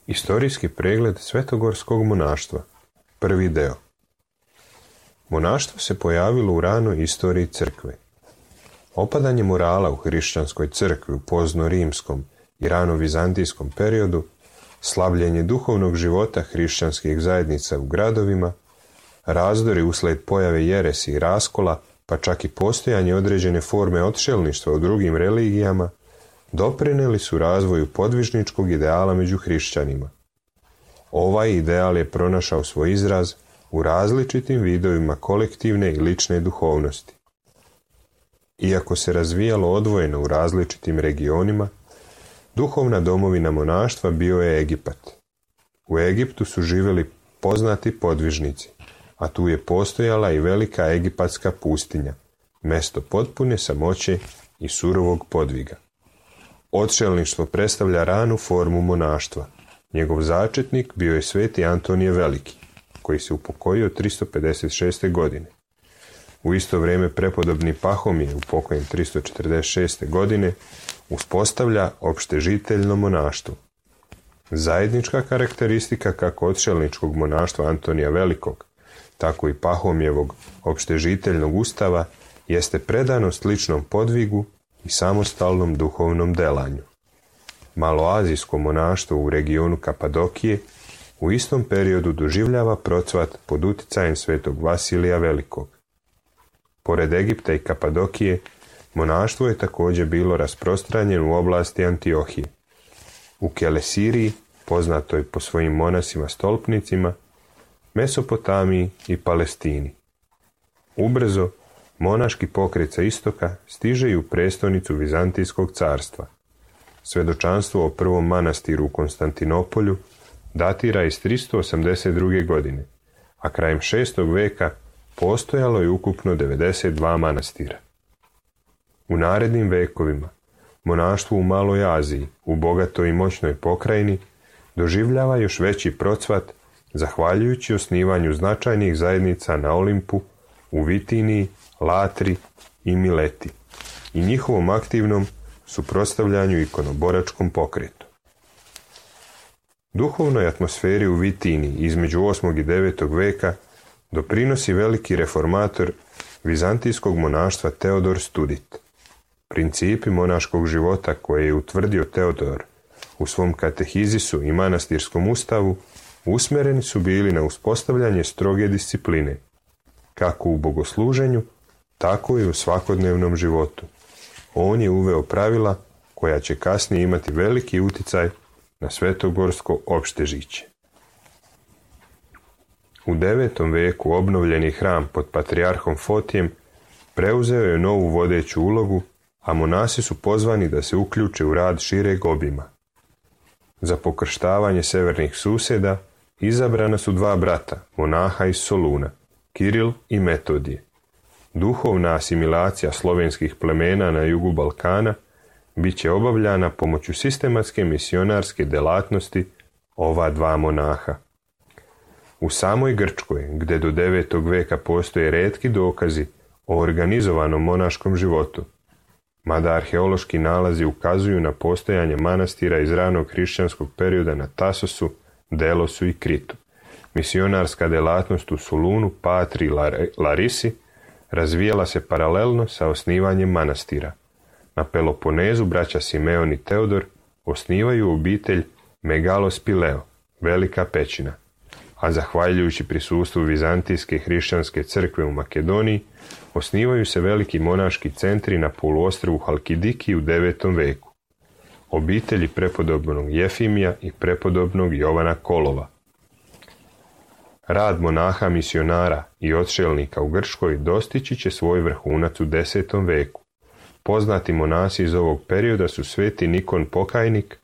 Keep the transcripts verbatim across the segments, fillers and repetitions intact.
Istorijski pregled svetogorskog monaštva. Prvi deo. Monaštvo se pojavilo u ranoj istoriji crkve. Opadanje morala u hrišćanskoj crkvi u pozno-rimskom i rano-vizantijskom periodu, slabljenje duhovnog života hrišćanskih zajednica u gradovima, razdori usled pojave jeresi i raskola, pa čak i postojanje određene forme odšelništva u drugim religijama, doprinijeli su razvoju podvižničkog ideala među hrišćanima. Ovaj ideal je pronašao svoj izraz u različitim vidovima kolektivne i lične duhovnosti. Iako se razvijalo odvojeno u različitim regionima, duhovna domovina monaštva bio je Egipat. U Egiptu su živjeli poznati podvižnici, a tu je postojala i velika egipatska pustinja, mesto potpune samoće i surovog podviga. Odšelništvo predstavlja ranu formu monaštva. Njegov začetnik bio je sveti Antonije Veliki, koji se upokojio tristo pedeset šeste. godine. U isto vrijeme prepodobni Pahomije, upokojen tristo četrdeset šeste. godine, uspostavlja opštežiteljno monaštvo. Zajednička karakteristika kako odšelničkog monaštva Antonija Velikog, tako i Pahomijevog opštežiteljnog ustava jeste predanost ličnom podvigu i samostalnom duhovnom delanju. Maloazijsko monaštvo u regionu Kapadokije u istom periodu doživljava procvat pod uticajem svetog Vasilija Velikog. Pored Egipta i Kapadokije, monaštvo je također bilo rasprostranjeno u oblasti Antiohije. U Kelesiriji, poznatoj po svojim monasima stolpnicima, Mesopotamiji i Palestini. Ubrzo, monaški pokret sa istoka stiže i u prestonicu Vizantijskog carstva. Svedočanstvo o prvom manastiru u Konstantinopolju datira iz tristo osamdeset druge. godine, a krajem šestog veka postojalo je ukupno devedeset dva manastira. U narednim vekovima, monaštvo u Maloj Aziji, u bogatoj i moćnoj pokrajini, doživljava još veći procvat zahvaljujući osnivanju značajnih zajednica na Olimpu, u Vitiniji, Latri i Mileti i njihovom aktivnom suprotstavljanju ikonoboračkom pokretu. Duhovnoj atmosferi u Vitiniji između osmog i devetog veka doprinosi veliki reformator vizantijskog monaštva Teodor Studit. Principi monaškog života koje je utvrdio Teodor u svom katehizisu i manastirskom ustavu usmjereni su bili na uspostavljanje stroge discipline, kako u bogosluženju, tako i u svakodnevnom životu. On je uveo pravila koja će kasnije imati veliki uticaj na svetogorsko opštežiće. U devetom veku obnovljeni hram pod patrijarhom Fotijem preuzeo je novu vodeću ulogu, a monasi su pozvani da se uključe u rad šireg obima. Za pokrštavanje severnih susjeda izabrana su dva brata, monaha iz Soluna, Kiril i Metodije. Duhovna asimilacija slovenskih plemena na jugu Balkana bit će obavljana pomoću sistematske misionarske delatnosti ova dva monaha. U samoj Grčkoj, gdje do devetog veka postoje retki dokazi o organizovanom monaškom životu, mada arheološki nalazi ukazuju na postojanje manastira iz ranog hrišćanskog perioda na Tasosu, Delosu i Kritu, misionarska delatnost u Solunu, Patri i Larisi razvijala se paralelno sa osnivanjem manastira. Na Peloponezu braća Simeon i Teodor osnivaju obitelj Megalospileo, Velika pećina, a zahvaljujući prisustvu Vizantijske hrišćanske crkve u Makedoniji, osnivaju se veliki monaški centri na poluostrvu Halkidiki u devetom veku. Obitelji prepodobnog Jefimija i prepodobnog Jovana Kolova. Rad monaha misionara i odšelnika u Grčkoj dostići će svoj vrhunac u desetom veku. Poznati monasi iz ovog perioda su sveti Nikon Pokajnik,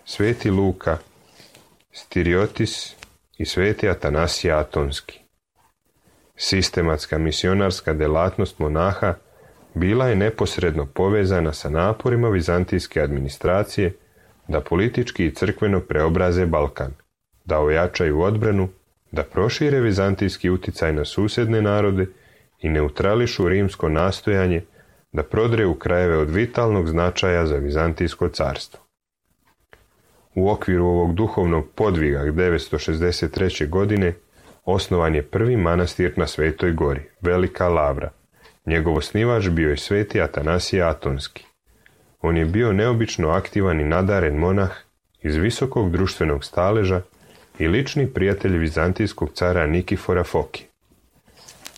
sveti Luka Stiriotis i sveti Atanasija Atonski. Sistematska misionarska delatnost monaha bila je neposredno povezana sa naporima vizantijske administracije da politički i crkveno preobraze Balkan, da ojačaju odbranu, da prošire vizantijski uticaj na susjedne narode i neutrališu rimsko nastojanje da prodreju krajeve od vitalnog značaja za Vizantijsko carstvo. U okviru ovog duhovnog podviga devetsto šezdeset treće. godine osnovan je prvi manastir na Svetoj gori, Velika Lavra. Njegov osnivač bio je sveti Atanasije Atonski. On je bio neobično aktivan i nadaren monah iz visokog društvenog staleža i lični prijatelj vizantijskog cara Nikifora Foki.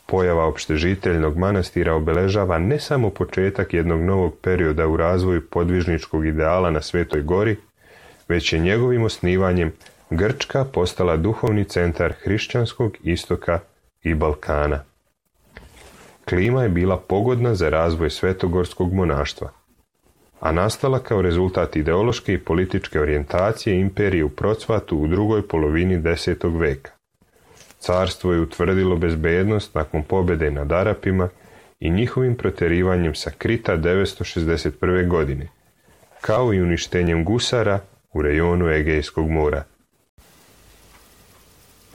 Pojava opštežiteljnog manastira obeležava ne samo početak jednog novog perioda u razvoju podvižničkog ideala na Svetoj gori, već je njegovim osnivanjem Grčka postala duhovni centar hrišćanskog istoka i Balkana. Klima je bila pogodna za razvoj svetogorskog monaštva, a nastala kao rezultat ideološke i političke orijentacije imperije u procvatu u drugoj polovini desetog veka. Carstvo je utvrdilo bezbednost nakon pobjede nad Arapima i njihovim proterivanjem sa Krita devetsto šezdeset prve. godine, kao i uništenjem gusara u rejonu Egejskog mora.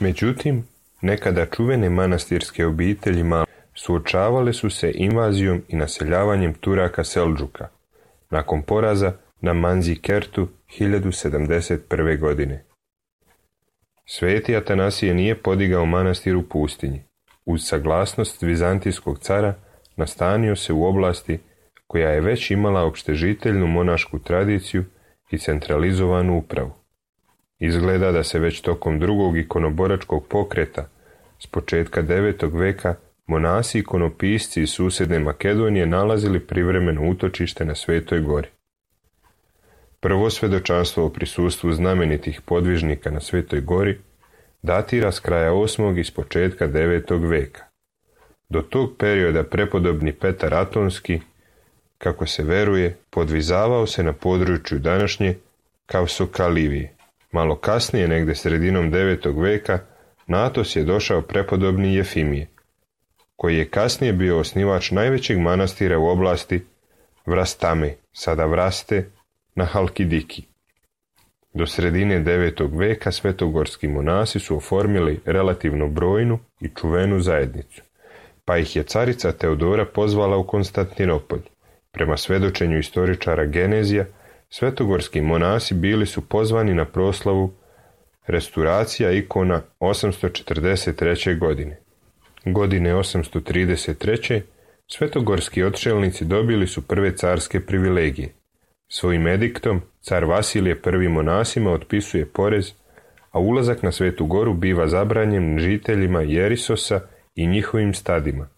Međutim, nekada čuvene manastirske obitelji Mal suočavale su se invazijom i naseljavanjem Turaka Seldžuka, nakon poraza na Manzikertu hiljadu sedamdeset prve. godine. Sveti Atanasije nije podigao manastir u pustinji. Uz saglasnost vizantijskog cara nastanio se u oblasti koja je već imala opštežiteljnu monašku tradiciju i centralizovanu upravu. Izgleda da se već tokom drugog ikonoboračkog pokreta s početka devetog veka monasi i ikonopisci iz susjedne Makedonije nalazili privremeno utočište na Svetoj gori. Prvo svjedočanstvo o prisustvu znamenitih podvižnika na Svetoj gori datira s kraja osmog i s početka devetog veka. Do tog perioda prepodobni Petar Atonski, kako se veruje, podvizavao se na području današnje Kavsokalivije. Malo kasnije, negde sredinom devetog veka, na Atos je došao prepodobni Jefimije, koji je kasnije bio osnivač najvećeg manastira u oblasti Vrastame, sada Vraste, na Halkidiki. Do sredine devetog veka svetogorski monasi su oformili relativno brojnu i čuvenu zajednicu, pa ih je carica Teodora pozvala u Konstantinopolj. Prema svedočenju istoričara Genezija, svetogorski monasi bili su pozvani na proslavu restauracija ikona osamsto četrdeset treće. godine. Godine osamsto trideset treće. svetogorski odšelnici dobili su prve carske privilegije. Svojim ediktom car Vasilije prvi monasima otpisuje porez, a ulazak na Svetu goru biva zabranjen žiteljima Jerisosa i njihovim stadima.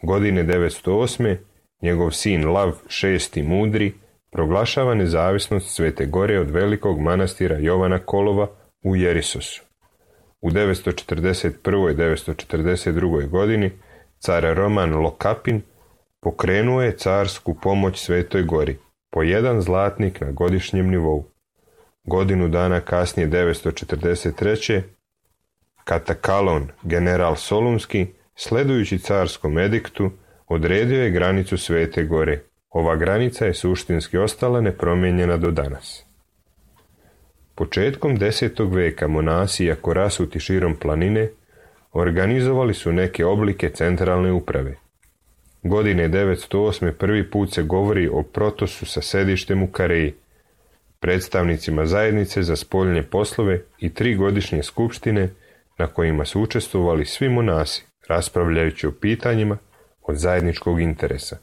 Godine devetsto osme. njegov sin Lav šesti Mudri proglašava nezavisnost Svete gore od velikog manastira Jovana Kolova u Jerisosu. U devetsto četrdeset prvoj. i devetsto četrdeset drugoj. godini car Roman Lokapin pokrenuo je carsku pomoć Svetoj gori, po jedan zlatnik na godišnjem nivou. Godinu dana kasnije, devetsto četrdeset treće. Katakalon, general Solunski, sledujući carskom ediktu, odredio je granicu Svete gore. Ova granica je suštinski ostala nepromijenjena do danas. Početkom desetog veka monasi, iako rasuti širom planine, organizovali su neke oblike centralne uprave. Godine devetsto osme. prvi put se govori o protosu sa sedištem u Kareji, predstavnicima zajednice za spoljne poslove i tri godišnje skupštine na kojima su učestvovali svi monasi, raspravljajući o pitanjima od zajedničkog interesa.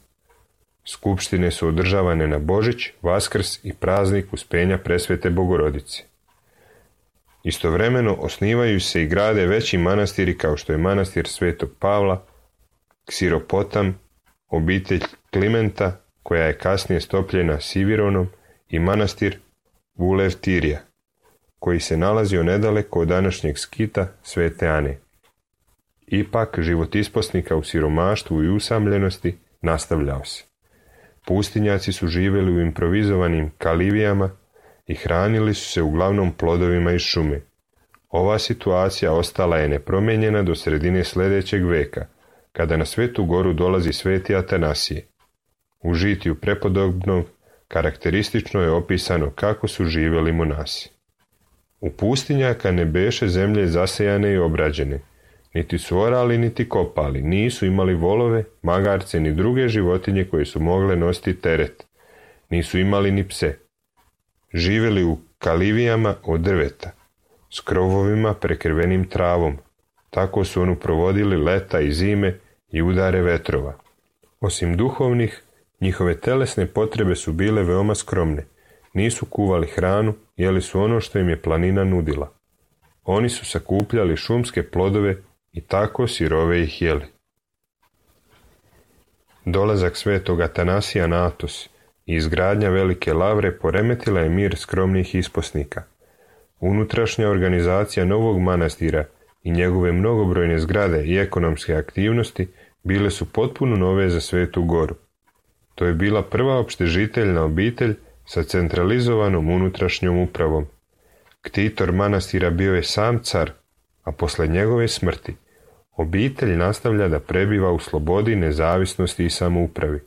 Skupštine su održavane na Božić, Vaskrs i praznik Uspenja Presvete Bogorodice. Istovremeno osnivaju se i grade veći manastiri kao što je manastir Svetog Pavla, Ksiropotam, obitelj Klimenta, koja je kasnije stopljena Sivironom, i manastir Vulevtirija, koji se nalazio nedaleko od današnjeg Skita Svete Ane. Ipak, život isposnika u siromaštvu i usamljenosti nastavljao se. Pustinjaci su živjeli u improvizovanim kalivijama i hranili su se uglavnom plodovima iz šume. Ova situacija ostala je nepromijenjena do sredine sljedećeg veka, kada na Svetu goru dolazi Sveti Atanasije. U žitiju prepodobnog karakteristično je opisano kako su živjeli monasi. U pustinjaka ne beše zemlje zasejane i obrađene, niti su orali niti kopali, nisu imali volove, magarce ni druge životinje koje su mogle nositi teret, nisu imali ni pse. Živjeli u kalivijama od drveta, s krovovima prekrvenim travom. Tako su onu provodili leta i zime i udare vetrova. Osim duhovnih, njihove telesne potrebe su bile veoma skromne. Nisu kuvali hranu, jeli su ono što im je planina nudila. Oni su sakupljali šumske plodove i tako sirove ih jeli. Dolazak Svetog Atanasija na Atos i izgradnja velike lavre poremetila je mir skromnih isposnika. Unutrašnja organizacija novog manastira i njegove mnogobrojne zgrade i ekonomske aktivnosti bile su potpuno nove za Svetu goru. To je bila prva opštežiteljna obitelj sa centralizovanom unutrašnjom upravom. Ktitor manastira bio je sam car, a posle njegove smrti obitelj nastavlja da prebiva u slobodi, nezavisnosti i samoupravi.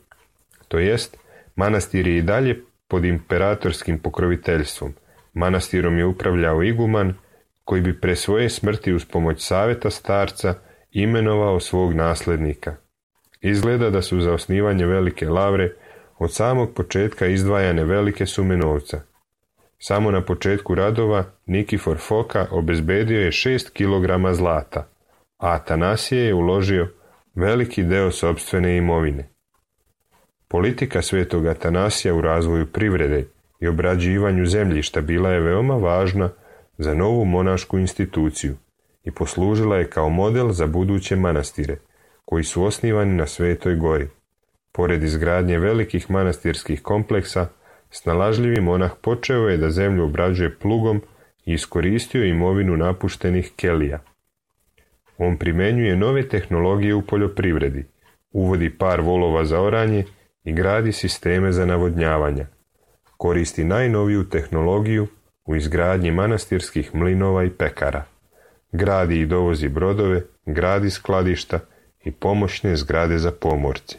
To jest, manastir je i dalje pod imperatorskim pokroviteljstvom. Manastirom je upravljao iguman, koji bi pre svoje smrti uz pomoć savjeta starca imenovao svog nasljednika. Izgleda da su za osnivanje velike lavre od samog početka izdvajane velike sume novca. Samo na početku radova Nikifor Foka obezbedio je šest kilograma zlata, a Atanasije je uložio veliki deo sopstvene imovine. Politika svetog Atanasija u razvoju privrede i obrađivanju zemljišta bila je veoma važna za novu monašku instituciju i poslužila je kao model za buduće manastire, koji su osnivani na Svetoj gori. Pored izgradnje velikih manastirskih kompleksa, snalažljivi monah počeo je da zemlju obrađuje plugom i iskoristio imovinu napuštenih kelija. On primenjuje nove tehnologije u poljoprivredi, uvodi par volova za oranje i gradi sisteme za navodnjavanja. Koristi najnoviju tehnologiju u izgradnji manastirskih mlinova i pekara. Gradi i dovozi brodove, gradi skladišta i pomoćne zgrade za pomorce.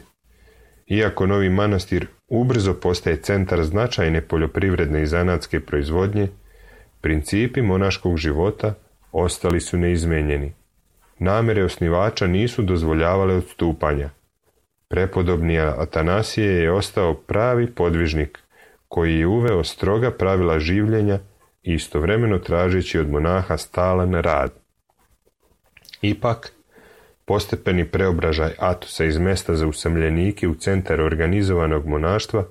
Iako novi manastir ubrzo postaje centar značajne poljoprivredne i zanatske proizvodnje, principi monaškog života ostali su neizmenjeni. Namere osnivača nisu dozvoljavale odstupanja. Prepodobni Atanasije je ostao pravi podvižnik, koji je uveo stroga pravila življenja i istovremeno tražeći od monaha stalan rad. Ipak, postepeni preobražaj Atosa iz mesta za usamljenike u centar organizovanog monaštva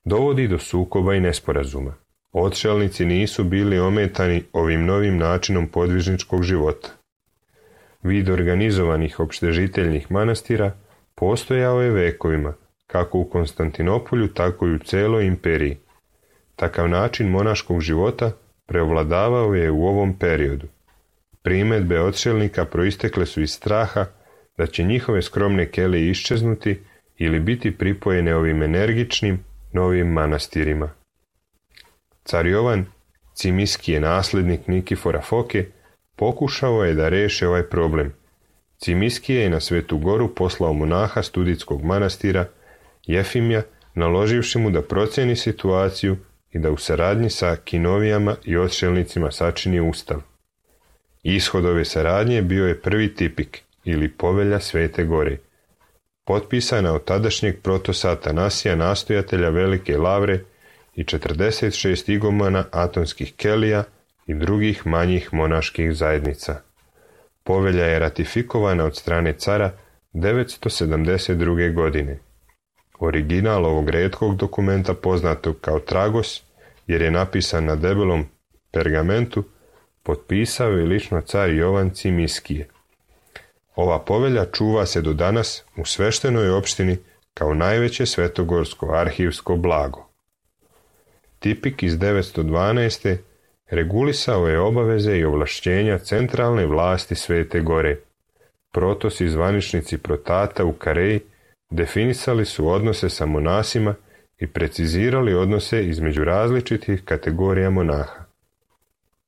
dovodi do sukoba i nesporazuma. Odšelnici nisu bili ometani ovim novim načinom podvižničkog života. Vid organizovanih opštežiteljnih manastira postojao je vekovima, kako u Konstantinopolju, tako i u celoj imperiji. Takav način monaškog života preovladavao je u ovom periodu. Primedbe odšelnika proistekle su iz straha da će njihove skromne kelije iščeznuti ili biti pripojene ovim energičnim novim manastirima. Car Jovan, Cimiskije nasljednik Nikifora Foke, pokušao je da reše ovaj problem. Cimiskije je na Svetu goru poslao monaha studitskog manastira Jefimija, naloživši mu da proceni situaciju i da u saradnji sa kinovijama i odšelnicima sačini ustav. Ishod ove saradnje bio je prvi tipik ili povelja Svete gore, potpisana od tadašnjeg protosa Atanasija, nastojatelja velike lavre, i četrdeset šest igumana atonskih kelija i drugih manjih monaških zajednica. Povelja je ratifikovana od strane cara devetsto sedamdeset druge. godine. Original ovog retkog dokumenta, poznatog kao Tragos, jer je napisan na debelom pergamentu, potpisao je lično car Jovan Cimiskije. Ova povelja čuva se do danas u sveštenoj opštini kao najveće svetogorsko arhivsko blago. Tipik iz devetsto dvanaeste. regulisao je obaveze i ovlašćenja centralne vlasti Svete gore. Protos i zvaničnici protata u Kareji definisali su odnose sa monasima i precizirali odnose između različitih kategorija monaha.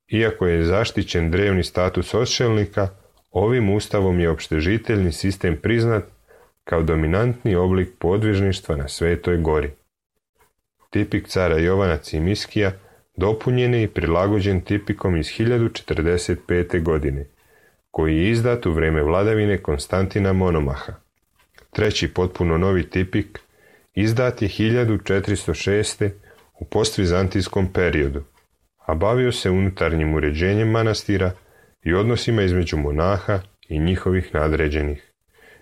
Iako je zaštićen drevni status odšelnika, ovim ustavom je opštežiteljni sistem priznat kao dominantni oblik podvižništva na Svetoj gori. Tipik cara Jovana Cimiskija dopunjen je i prilagođen tipikom iz hiljadu četrdeset pete. godine, koji je izdat u vreme vladavine Konstantina Monomaha. Treći potpuno novi tipik izdat je hiljadu četiristo šeste. u postvizantijskom periodu, a bavio se unutarnjim uređenjem manastira i odnosima između monaha i njihovih nadređenih.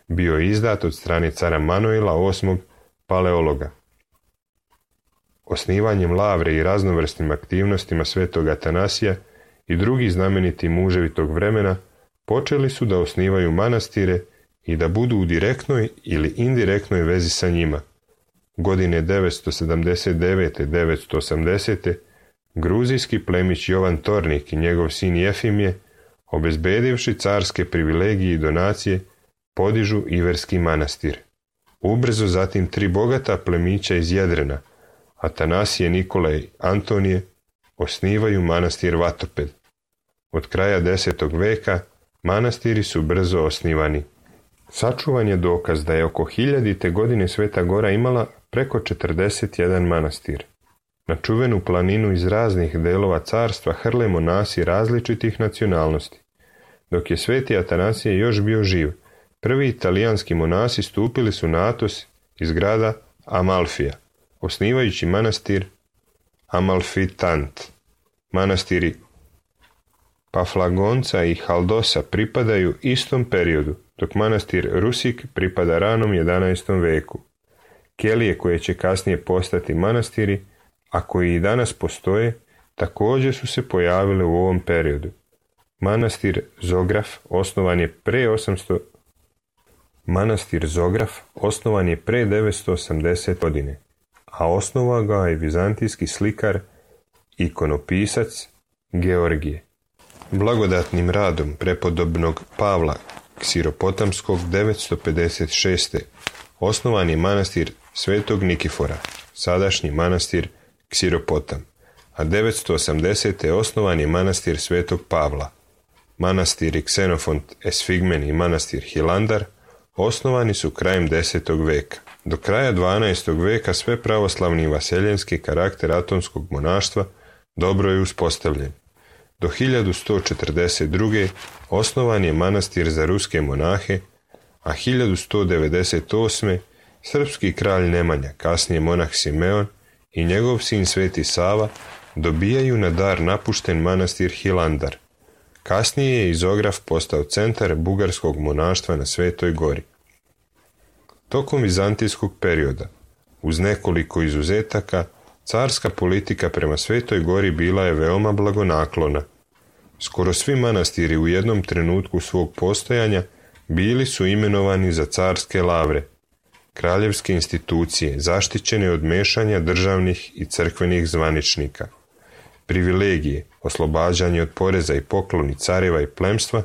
Bio je izdat od strane cara Manuela osmog. Paleologa. Osnivanjem lavre i raznovrsnim aktivnostima svetog Atanasija i drugi znameniti muževi tog vremena počeli su da osnivaju manastire i da budu u direktnoj ili indirektnoj vezi sa njima. Godine devetsto sedamdeset devete do devetsto osamdesete. gruzijski plemić Jovan Tornik i njegov sin Jefimije, obezbedivši carske privilegije i donacije, podižu Iverski manastir. Ubrzo zatim tri bogata plemića iz Jedrena, Atanasije, Nikole i Antonije, osnivaju manastir Vatoped. Od kraja desetog veka manastiri su brzo osnivani. Sačuvan je dokaz da je oko hiljadite godine Sveta gora imala preko četrdeset jedan manastir. Na čuvenu planinu iz raznih delova carstva hrle monasi različitih nacionalnosti. Dok je sveti Atanasije još bio živ, prvi italijanski monasi stupili su na Atos iz grada Amalfija, osnivajući manastir Amalfitant. Manastiri Paflagonca i Haldosa pripadaju istom periodu, dok manastir Rusik pripada ranom jedanaestom veku. Kelije koje će kasnije postati manastiri, a koji i danas postoje, također su se pojavile u ovom periodu. Manastir Zograf osnovan je pre osamsto Manastir Zograf osnovan je pre devetsto osamdesete. godine, a osnovao ga je vizantijski slikar, ikonopisac Georgije. Blagodatnim radom prepodobnog Pavla Ksiropotamskog devetsto pedeset šeste. osnovan je manastir Svetog Nikifora, sadašnji manastir Ksiropotam, a devetsto osamdesete. osnovan je manastir Svetog Pavla. Manastiri Ksenofont Esfigmen i manastir Hilandar osnovani su krajem desetog veka. Do kraja dvanaestog veka sve pravoslavni i vaseljenski karakter atonskog monaštva dobro je uspostavljen. Do hiljadu sto četrdeset druge. osnovan je manastir za ruske monahe, a hiljadu sto devedeset osme. srpski kralj Nemanja, kasnije monah Simeon i njegov sin Sveti Sava dobijaju na dar napušten manastir Hilandar. Kasnije je Izograf postao centar bugarskog monaštva na Svetoj gori. Tokom vizantijskog perioda, uz nekoliko izuzetaka, carska politika prema Svetoj gori bila je veoma blagonaklona. Skoro svi manastiri u jednom trenutku svog postojanja bili su imenovani za carske lavre, kraljevske institucije zaštićene od mešanja državnih i crkvenih zvaničnika. Privilegije, oslobađanje od poreza i pokloni careva i plemstva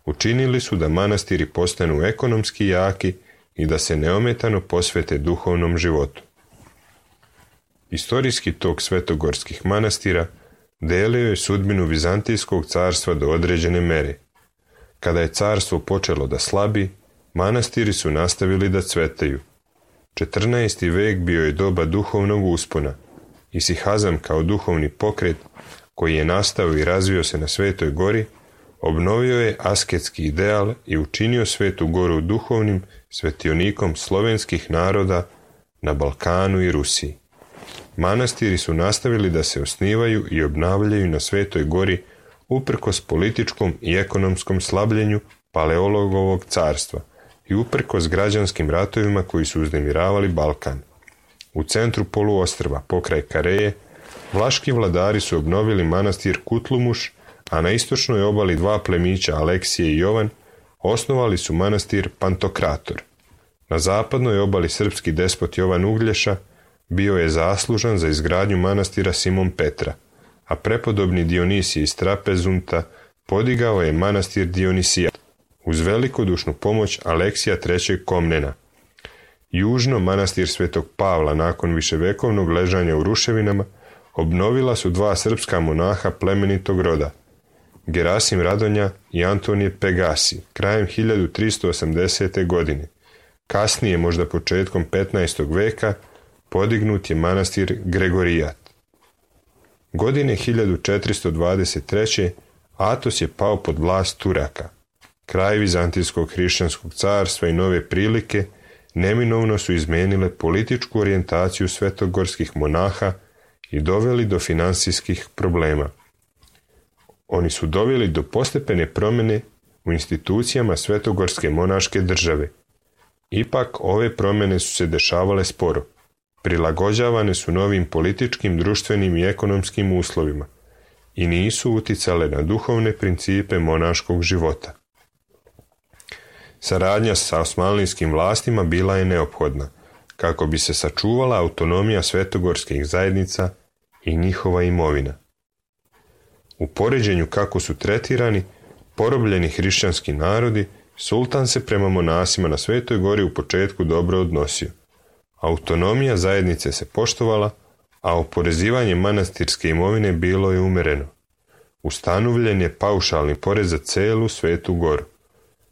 učinili su da manastiri postanu ekonomski jaki i da se neometano posvete duhovnom životu. Istorijski tok svetogorskih manastira delio je sudbinu Vizantijskog carstva do određene mere. Kada je carstvo počelo da slabi, manastiri su nastavili da cvetaju. četrnaesti. vek bio je doba duhovnog uspona. Isihazam kao duhovni pokret, koji je nastao i razvio se na Svetoj gori, obnovio je asketski ideal i učinio Svetu goru duhovnim svetionikom slovenskih naroda na Balkanu i Rusiji. Manastiri su nastavili da se osnivaju i obnavljaju na Svetoj gori uprkos političkom i ekonomskom slabljenju Paleologovog carstva i uprkos građanskim ratovima koji su uznemiravali Balkan. U centru poluostrva, pokraj Kareje, vlaški vladari su obnovili manastir Kutlumuš, a na istočnoj obali dva plemića Aleksije i Jovan osnovali su manastir Pantokrator. Na zapadnoj obali srpski despot Jovan Uglješa bio je zaslužan za izgradnju manastira Simon Petra, a prepodobni Dionisije iz Trapezunta podigao je manastir Dionisija uz velikodušnu pomoć Aleksija trećeg Komnena. Južno manastir Svetog Pavla nakon viševekovnog ležanja u ruševinama obnovila su dva srpska monaha plemenitog roda, Gerasim Radonja i Antonije Pegasi, krajem hiljadu tristo osamdesete. godine. Kasnije, možda početkom petnaestog. veka, podignut je manastir Gregorijat. Godine hiljadu četiristo dvadeset treće. Atos je pao pod vlast Turaka. Kraj Vizantijskog hrišćanskog carstva i nove prilike neminovno su izmenile političku orijentaciju svetogorskih monaha i doveli do finansijskih problema. Oni su doveli do postepene promjene u institucijama svetogorske monaške države. Ipak ove promjene su se dešavale sporo. Prilagođavane su novim političkim, društvenim i ekonomskim uslovima i nisu uticale na duhovne principe monaškog života. Saradnja sa osmanlijskim vlastima bila je neophodna, kako bi se sačuvala autonomija svetogorskih zajednica i njihova imovina. U poređenju kako su tretirani porobljeni hrišćanski narodi, sultan se prema monasima na Svetoj gori u početku dobro odnosio. Autonomija zajednice se poštovala, a oporezivanje manastirske imovine bilo je umereno. Ustanovljen je paušalni porez za celu Svetu goru.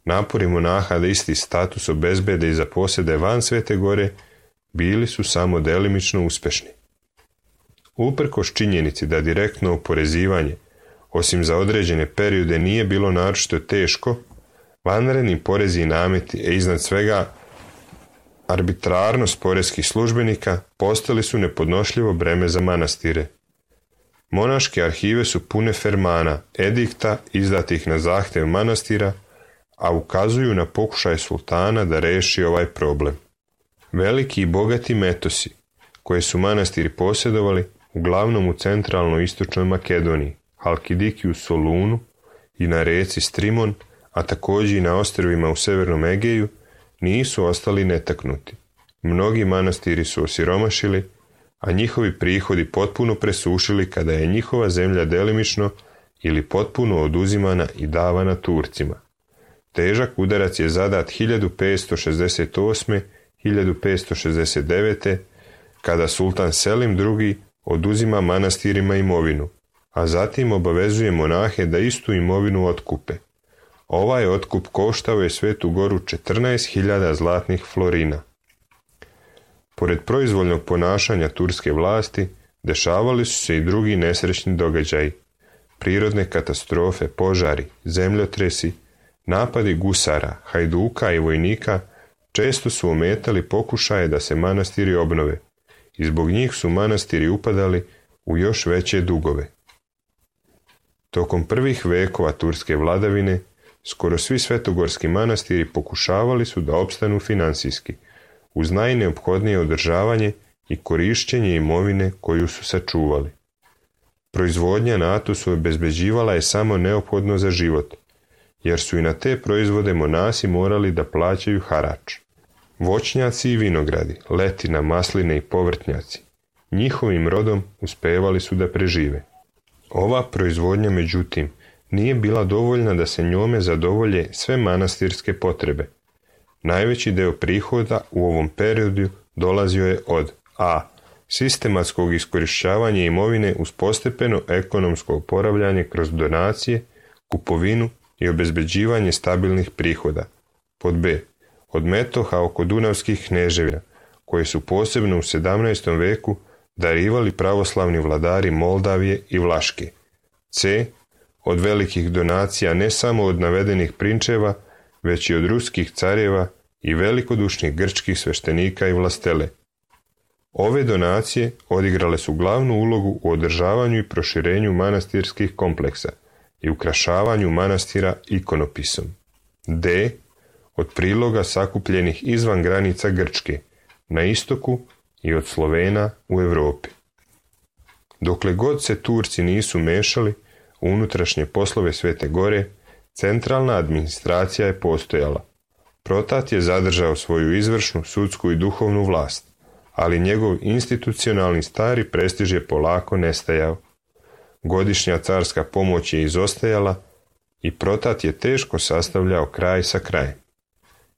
Napori monaha da isti status obezbede i za posede van Svete gore bili su samo delimično uspešni. Uprkos činjenici da direktno oporezivanje, osim za određene periode, nije bilo naročito teško, vanredni porezi i nameti, a iznad svega arbitrarnost poreskih službenika, postali su nepodnošljivo breme za manastire. Monaške arhive su pune fermana, edikta izdatih na zahtjev manastira, a ukazuju na pokušaj sultana da reši ovaj problem. Veliki i bogati metosi, koje su manastiri posjedovali, uglavnom u centralno-istočnoj Makedoniji, Halkidiki u Solunu i na reci Strimon, a također i na ostrvima u Severnom Egeju, nisu ostali netaknuti. Mnogi manastiri su osiromašili, a njihovi prihodi potpuno presušili kada je njihova zemlja delimično ili potpuno oduzimana i davana Turcima. Težak udarac je zadat hiljadu petsto šezdeset osme – hiljadu petsto šezdeset devete kada sultan Selim drugi oduzima manastirima imovinu, a zatim obavezuje monahe da istu imovinu otkupe. Ovaj otkup koštao je Svetu Goru četrnaest hiljada zlatnih florina. Pored proizvoljnog ponašanja turske vlasti, dešavali su se i drugi nesrećni događaji. Prirodne katastrofe, požari, zemljotresi, napadi gusara, hajduka i vojnika često su ometali pokušaje da se manastiri obnove i zbog njih su manastiri upadali u još veće dugove. Tokom prvih vekova turske vladavine, skoro svi svetogorski manastiri pokušavali su da opstanu finansijski, uz najneophodnije održavanje i korišćenje imovine koju su sačuvali. Proizvodnja na Atosu obezbeđivala je samo neophodno za život, jer su i na te proizvode monasi morali da plaćaju harač. Voćnjaci i vinogradi, letina, masline i povrtnjaci, njihovim rodom uspevali su da prežive. Ova proizvodnja, međutim, nije bila dovoljna da se njome zadovolje sve manastirske potrebe. Najveći deo prihoda u ovom periodu dolazio je od a. sistematskog iskorišćavanja imovine uz postepeno ekonomsko oporavljanje kroz donacije, kupovinu i obezbeđivanje stabilnih prihoda. Pod b. od metoha oko dunavskih kneževina, koje su posebno u sedamnaestom veku darivali pravoslavni vladari Moldavije i Vlaške. c. od velikih donacija ne samo od navedenih prinčeva, već i od ruskih carjeva i velikodušnih grčkih sveštenika i vlastele. Ove donacije odigrale su glavnu ulogu u održavanju i proširenju manastirskih kompleksa i ukrašavanju manastira ikonopisom. d. od priloga sakupljenih izvan granica Grčke, na istoku i od Slovena u Europi. Dokle god se Turci nisu mešali u unutrašnje poslove Svete Gore, centralna administracija je postojala. Protat je zadržao svoju izvršnu, sudsku i duhovnu vlast, ali njegov institucionalni stari prestiž je polako nestajao. Godišnja carska pomoć je izostajala i Protat je teško sastavljao kraj sa krajem.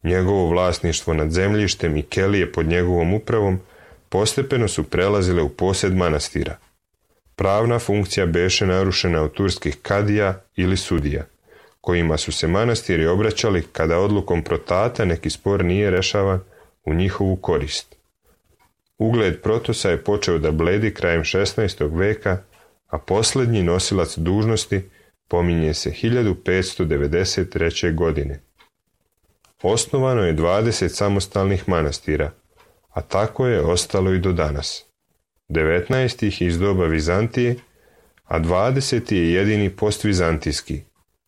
Njegovo vlasništvo nad zemljištem i kelije pod njegovom upravom postepeno su prelazile u posjed manastira. Pravna funkcija beše narušena od turskih kadija ili sudija, kojima su se manastiri obraćali kada odlukom Protata neki spor nije rešavan u njihovu korist. Ugled Protosa je počeo da bledi krajem šesnaestog veka, a posljednji nosilac dužnosti pominje se hiljadu petsto devedeset treće. godine. Osnovano je dvadeset samostalnih manastira, a tako je ostalo i do danas. devetnaest ih iz doba Vizantije, a dvadeset je jedini postvizantijski,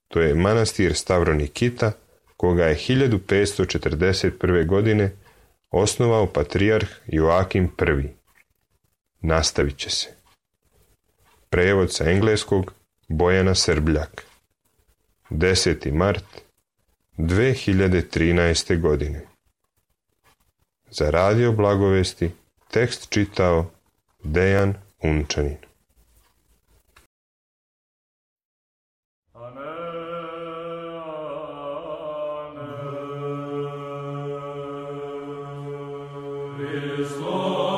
to je manastir Stavronikita, koga je hiljadu petsto četrdeset prve. godine osnovao patrijarh Joakim prvi. Nastavit će se. Prevod sa engleskog Bojana Srbljak. deseti mart dve hiljade trinaeste. godine. Za Radio Blagovesti tekst čitao Dejan Unčanin. Hristos